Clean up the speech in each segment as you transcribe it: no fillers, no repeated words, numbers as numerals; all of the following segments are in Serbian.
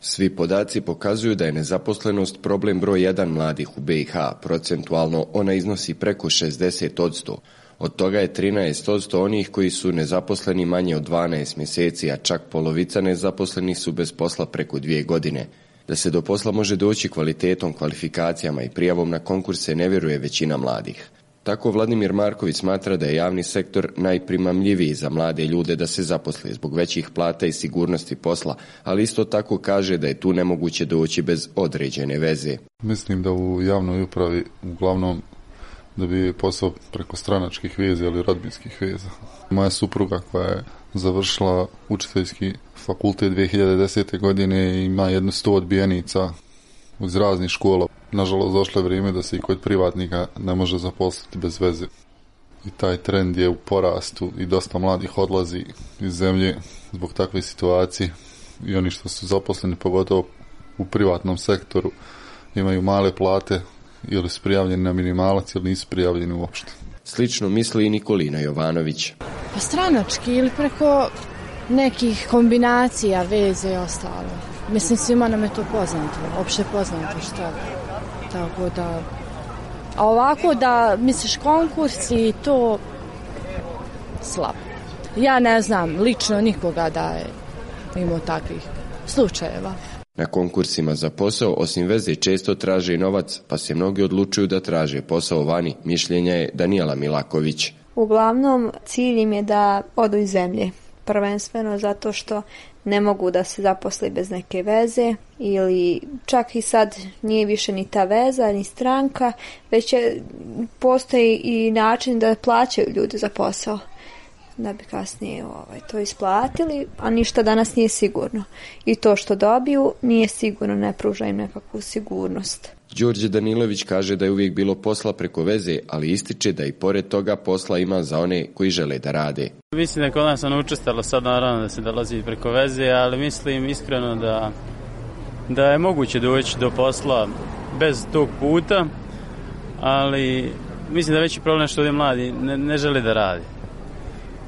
Svi podaci pokazuju da je nezaposlenost problem broj 1 mladih u BiH. Procentualno ona iznosi preko 60%. Od toga je 13% onih koji su nezaposleni manje od 12 mjeseci, a čak polovica nezaposlenih su bez posla preko 2 godine. Da se do posla može doći kvalitetom, kvalifikacijama i prijavom na konkurse ne vjeruje većina mladih. Tako Vladimir Marković smatra da je javni sektor najprimamljiviji za mlade ljude da se zaposle zbog većih plata i sigurnosti posla, ali isto tako kaže da je tu nemoguće doći bez određene veze. Mislim da u javnoj upravi uglavnom da bi posao preko stranačkih veza ili rodbinskih veza. Moja supruga koja je završila učiteljski fakultet 2010. godine ima jedno 100 odbijenica iz raznih škola. Nažalost, došlo je vrijeme da se i kod privatnika ne može zaposliti bez veze. I taj trend je u porastu i dosta mladih odlazi iz zemlje zbog takve situacije. I oni što su zaposleni, pogotovo u privatnom sektoru, imaju male plate ili su prijavljeni na minimalac ili nisu prijavljeni uopšte. Slično misli i Nikolina Jovanović. Pa stranački ili preko nekih kombinacija, veze i ostalo. Mislim, svima nam je to poznato, opšte poznato šta. Tako da, a ovako da misliš konkurs i to slabo. Ja ne znam lično nikoga da je imao takvih slučajeva. Na konkursima za posao osim veze često traže i novac, pa se mnogi odlučuju da traže posao vani, mišljenja je Danijela Milaković. Uglavnom cilj im je da odu iz zemlje, prvenstveno zato što ne mogu da se zaposli bez neke veze ili čak i sad nije više ni ta veza ni stranka, već postoji i način da plaćaju ljudi za posao da bi kasnije to isplatili, a ništa danas nije sigurno. I to što dobiju nije sigurno, ne pruža im nekakvu sigurnost. Đorđe Danilović kaže da je uvijek bilo posla preko veze, ali ističe da i pored toga posla ima za one koji žele da rade. Mislim da kod nas učestalo sad naravno da se dolazi preko veze, ali mislim iskreno da je moguće doći do posla bez tog puta, ali mislim da je veći problem što ovdje mladi ne žele da radi.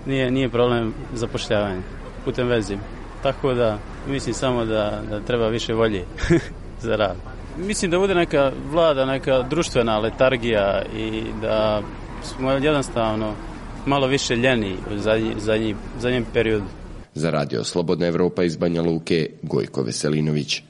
Nije problem zapošljavanje putem veze. Tako da mislim samo da treba više volje za rad. Mislim da bude neka vlada, neka društvena letargija i da smo jednostavno malo više ljeni u zadnjem periodu. Za Radio Slobodna Evropa iz Banja Luke, Gojko Veselinović.